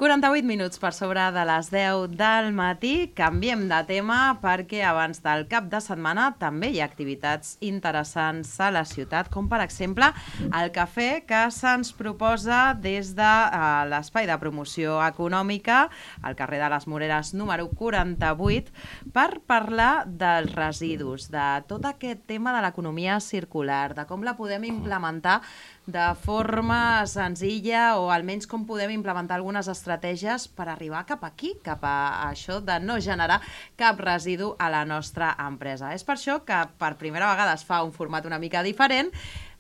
48 minuts per sobre de les 10 del matí. Canviem de tema perquè abans del cap de setmana també hi ha activitats interessants a la ciutat, com per exemple el cafè que se'ns proposa des de l'espai de promoció econòmica al carrer de les Moreres número 48 per parlar dels residus, de tot aquest tema de l'economia circular, de com la podem implementar de forma senzilla o almenys com podem implementar algunes estratègies per arribar cap aquí, cap a això de no generar cap residu a la nostra empresa. És per això que per primera vegada es fa un format una mica diferent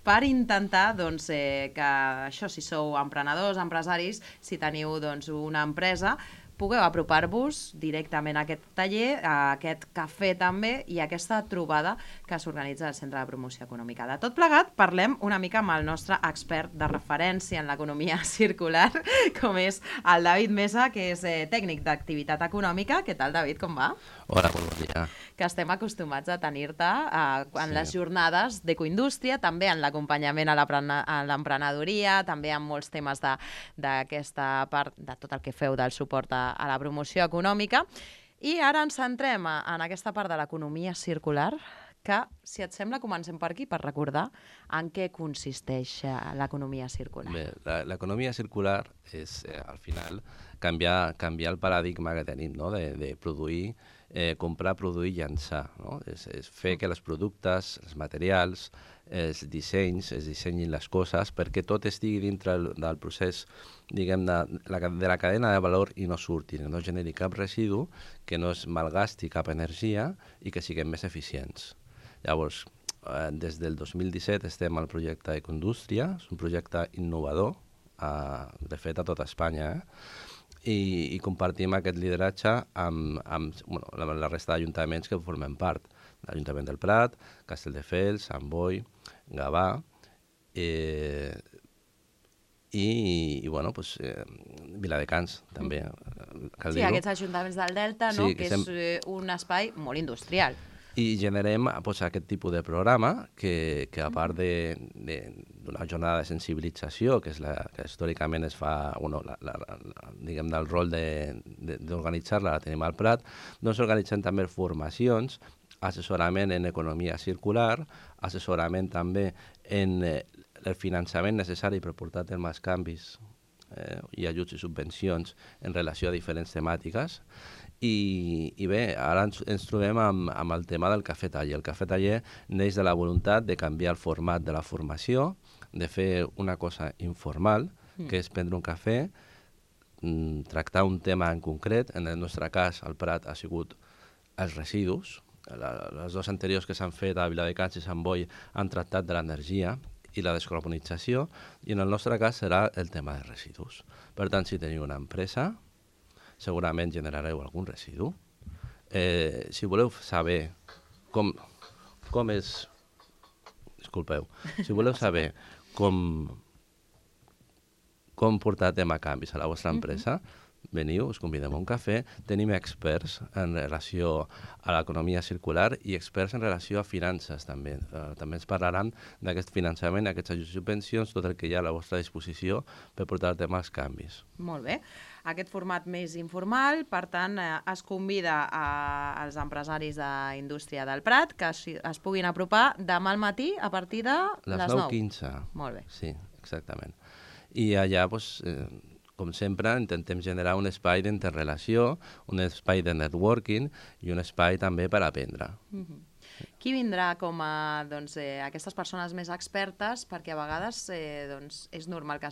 per intentar que això, si sou emprenedors, empresaris, si teniu una empresa, pugueu apropar-vos directament a aquest taller, a aquest cafè també i a aquesta trobada que s'organitza al Centre de Promoció Econòmica. De tot plegat, parlem una mica amb el nostre expert de referència en l'economia circular, com és el David Mesa, que és tècnic d'activitat econòmica. Què tal, David, com va? Hola, bon dia. Que estem acostumats a tenir-te en les jornades d'ecoindústria, també en l'acompanyament a l'emprenedoria, també en molts temes d'aquesta part, de tot el que feu del suport a la promoció econòmica. I ara ens centrem en aquesta part de l'economia circular, que, si et sembla, comencem per aquí, per recordar en què consisteix l'economia circular. Bé, l'economia circular és, al final, canviar el paradigma que tenim, no? de produir, comprar, produir i llançar. No? És fer que els productes, els materials, els dissenys, es dissenyin les coses perquè tot estigui dintre del procés, diguem, de la cadena de valor i no surti, no generi cap residu, que no es malgasti cap energia i que siguem més eficients. Llavors, des del 2017 estem al projecte Ecoindústria, és un projecte innovador, de fet a tot Espanya, i compartim aquest lideratge amb la resta d'ajuntaments que formen part. L'Ajuntament del Prat, Castelldefels, Sant Boi, Gavà i Viladecans també. Sí, aquests ajuntaments del Delta, no? Que és un espai molt industrial. I generem aquest tipus de programa que a part d'una jornada de sensibilització, que històricament es fa, diguem, del rol d'organitzar-la, la tenim al Prat, doncs organitzem també formacions, assessorament en economia circular, assessorament també en el finançament necessari per portar a terme els canvis i ajuts i subvencions en relació a diferents temàtiques. I bé, ara ens trobem amb el tema del cafè taller. El cafè taller neix de la voluntat de canviar el format de la formació, de fer una cosa informal, que és prendre un cafè, tractar un tema en concret. En el nostre cas, al Prat, ha sigut els residus. Les dues anteriors que s'han fet a Viladecans i Sant Boi han tractat de l'energia i la descarbonització, i en el nostre cas serà el tema de residus. Per tant, si teniu una empresa, segurament generareu algun residu. Si voleu saber com és... Disculpeu. Si voleu saber com portar a tema canvis a la vostra empresa, veniu, us convidem a un cafè. Tenim experts en relació a l'economia circular i experts en relació a finances també. També ens parlaran d'aquest finançament, aquests ajuts i subvencions, tot el que hi ha a la vostra disposició per portar a tema els canvis. Molt bé. Aquest format més informal, per tant, es convida als empresaris d'indústria del Prat que es puguin apropar demà al matí a partir de les 9. 9:15. Molt bé. Sí, exactament. I allà, com sempre, intentem generar un espai d'interrelació, un espai de networking i un espai també per aprendre. Qui vindrà com a aquestes persones més expertes? Perquè a vegades és normal que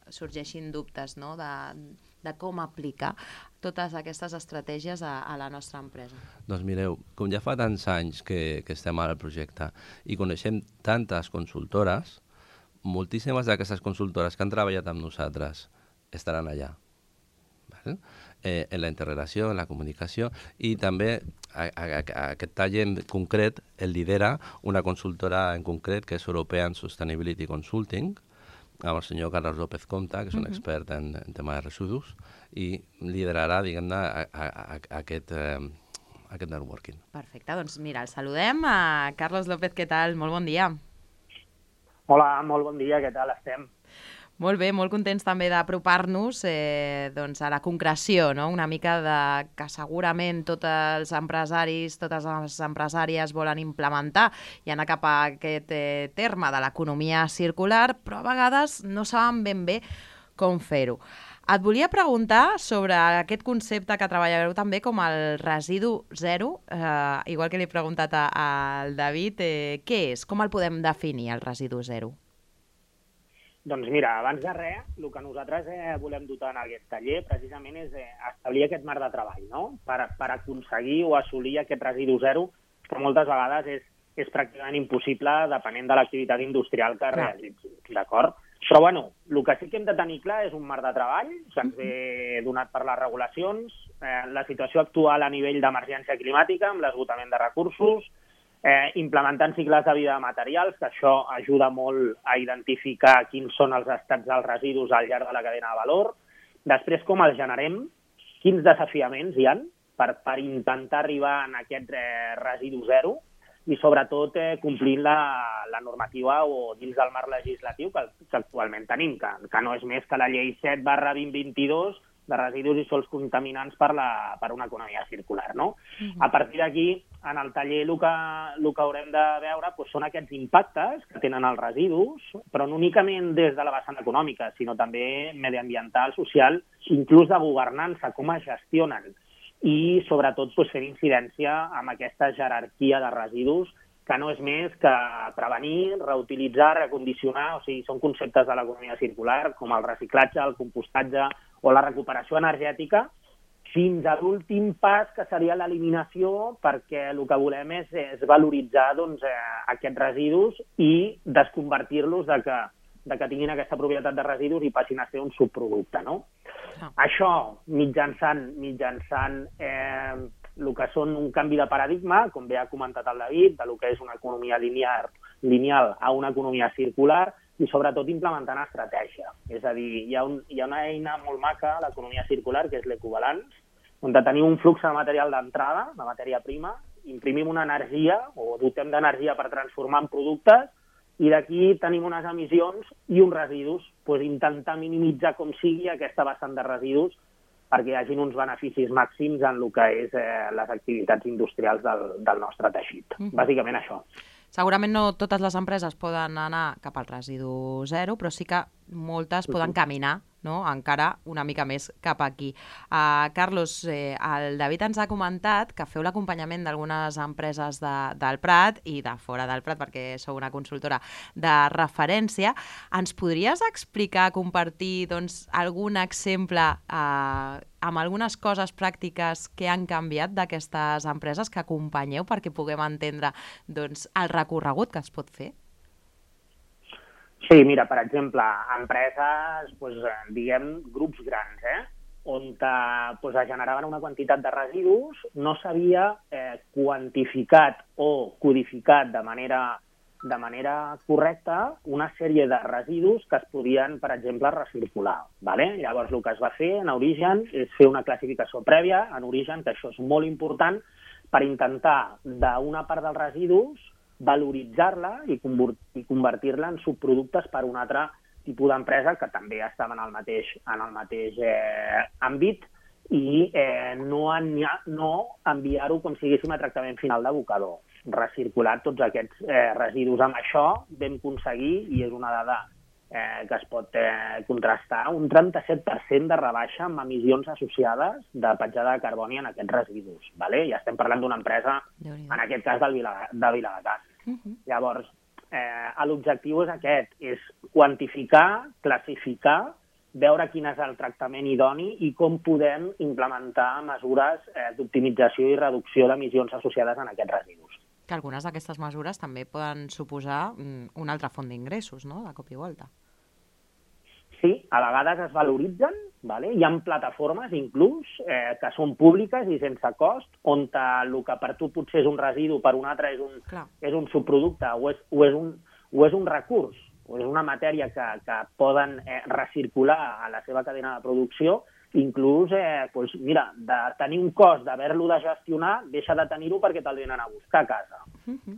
sorgeixin dubtes, no?, de com aplicar totes aquestes estratègies a la nostra empresa. Doncs mireu, com ja fa tants anys que estem al projecte i coneixem tantes consultores, moltíssimes d'aquestes consultores que han treballat amb nosaltres estaran allà, en la interrelació, en la comunicació, i també aquest taller en concret el lidera una consultora en concret que és European Sustainability Consulting, amb el senyor Carlos López Comta, que és un expert en tema de residus, i liderarà, diguem-ne, aquest networking. Perfecte, doncs mira, el saludem. Carlos López, què tal? Molt bon dia. Hola, molt bon dia, què tal estem? Molt bé, molt contents també d'apropar-nos doncs a la concreció, no? Una mica de que segurament tots els empresaris, totes les empresàries volen implementar i anar cap a aquest terme de l'economia circular, però a vegades no saben ben bé com fer-ho. Et volia preguntar sobre aquest concepte que treballareu també com el residu zero, igual que li he preguntat al David, què és? Com el podem definir, el residu zero? Doncs mira, abans de res, el que nosaltres volem dotar en aquest taller precisament és establir aquest marc de treball, no? Per aconseguir o assolir aquest residu zero, que moltes vegades és pràcticament impossible depenent de l'activitat industrial que realitzi, d'acord? Però, bueno, el que sí que hem de tenir clar és un marc de treball que ens ve donat per les regulacions, la situació actual a nivell d'emergència climàtica, amb l'esgotament de recursos, implementant cicles de vida de materials, que això ajuda molt a identificar quins són els estats dels residus al llarg de la cadena de valor. Després, com els generem, quins desafiaments hi ha per intentar arribar a aquest residu zero, i sobretot complint la normativa o dins del marc legislatiu que actualment tenim, que no és més que la llei 7/2022 de residus i sols contaminants per una economia circular, no? A partir d'aquí, en el taller el que haurem de veure són aquests impactes que tenen els residus, però no únicament des de la vessant econòmica, sinó també mediambiental, social, inclús de governança, com es gestionen, i sobretot fer incidència amb aquesta jerarquia de residus que no és més que prevenir, reutilitzar, recondicionar, o sigui, són conceptes de l'economia circular, com el reciclatge, el compostatge o la recuperació energètica, fins a l'últim pas, que seria l'eliminació, perquè el que volem és valoritzar aquests residus i desconvertir-los de que tinguin aquesta propietat de residus i passin a ser un subproducte, no? Això, mitjançant el que són un canvi de paradigma, com bé ha comentat el David, de lo que és una economia lineal a una economia circular, i sobretot implementant estratègia. És a dir, hi ha una eina molt maca a l'economia circular, que és l'ecobalanç, on tenim un flux de material d'entrada, de matèria prima, imprimim una energia o dotem d'energia per transformar en productes, i d'aquí tenim unes emissions i uns residus, intentar minimitzar com sigui aquesta vessant de residus perquè hi hagi uns beneficis màxims en el que és les activitats industrials del nostre teixit. Bàsicament això. Segurament no totes les empreses poden anar cap al residu zero, però sí que moltes poden caminar, no?, encara una mica més cap aquí. Carlos, el David ens ha comentat que feu l'acompanyament d'algunes empreses del Prat i de fora del Prat, perquè sou una consultora de referència. Ens podries explicar, compartir algun exemple amb algunes coses pràctiques que han canviat d'aquestes empreses que acompanyeu perquè puguem entendre el recorregut que es pot fer? Sí, mira, per exemple, empreses, diguem, grups grans, on es generaven una quantitat de residus, no s'havia quantificat o codificat de manera correcta una sèrie de residus que es podien, per exemple, recircular. Llavors, el que es va fer en origen és fer una classificació prèvia en origen, que això és molt important, per intentar, d'una part dels residus, valoritzar-la i convertir-la en subproductes per un altre tipus d'empresa que també estava en el mateix àmbit i no enviar-ho com si haguéssim a tractament final d'abocador. Recircular tots aquests residus. Amb això vam aconseguir, i és una dada que es pot contrastar, un 37% de rebaixa amb emissions associades de petjada de carboni en aquests residus. Ja estem parlant d'una empresa, en aquest cas de Viladecans. Llavors, l'objectiu és aquest, és quantificar, classificar, veure quin és el tractament idoni i com podem implementar mesures d'optimització i reducció d'emissions associades en aquests residus. Que algunes d'aquestes mesures també poden suposar una altra font d'ingressos, no?, de cop i volta. Sí, a vegades es valoritzen, hi ha plataformes inclús que són públiques i sense cost, on el que per tu potser és un residu, per un altre és un subproducte o és un recurs, o és una matèria que poden recircular a la seva cadena de producció inclús, mira, de tenir un cost d'haver-lo de gestionar, deixa de tenir-ho perquè te'l venen a buscar a casa.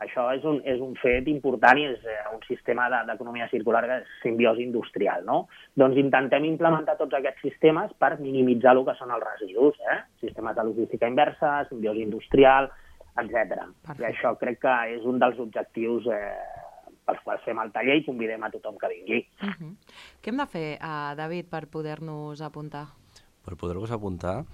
Això és un fet important i és un sistema d'economia circular que és simbiosi industrial, no? Doncs intentem implementar tots aquests sistemes per minimitzar el que són els residus, sistemes de logística inversa, simbiosi industrial, etc. I això crec que és un dels objectius pels quals fem el taller i convidem a tothom que vingui. Què hem de fer, David, per poder-nos apuntar? Per poder-vos apuntar,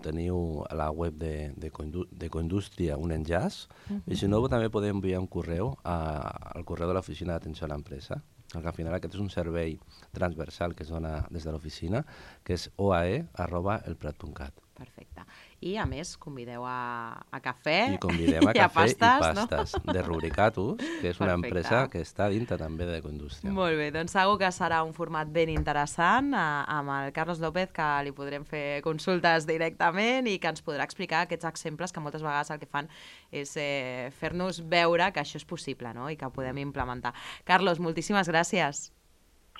teniu a la web de Coindústria un enllaç, i si no, també podeu enviar un correu al correu de l'oficina d'atenció a l'empresa, que al final aquest és un servei transversal que es dona des de l'oficina, que és oae@elprat.cat. Perfecte. I, a més, convideu a cafè i convidem a i a cafè pastes, i pastes de Rubricatus, que és una empresa que està dintre també de Coindústria. Molt bé, doncs segur que serà un format ben interessant amb el Carlos López, que li podrem fer consultes directament i que ens podrà explicar aquests exemples que moltes vegades el que fan és fer-nos veure que això és possible, no? I que podem implementar. Carlos, moltíssimes gràcies.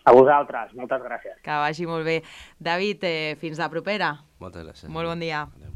A vosaltres, moltes gràcies. Que vagi molt bé. David, fins la propera. Moltes gràcies. Molt bon dia. Adéu.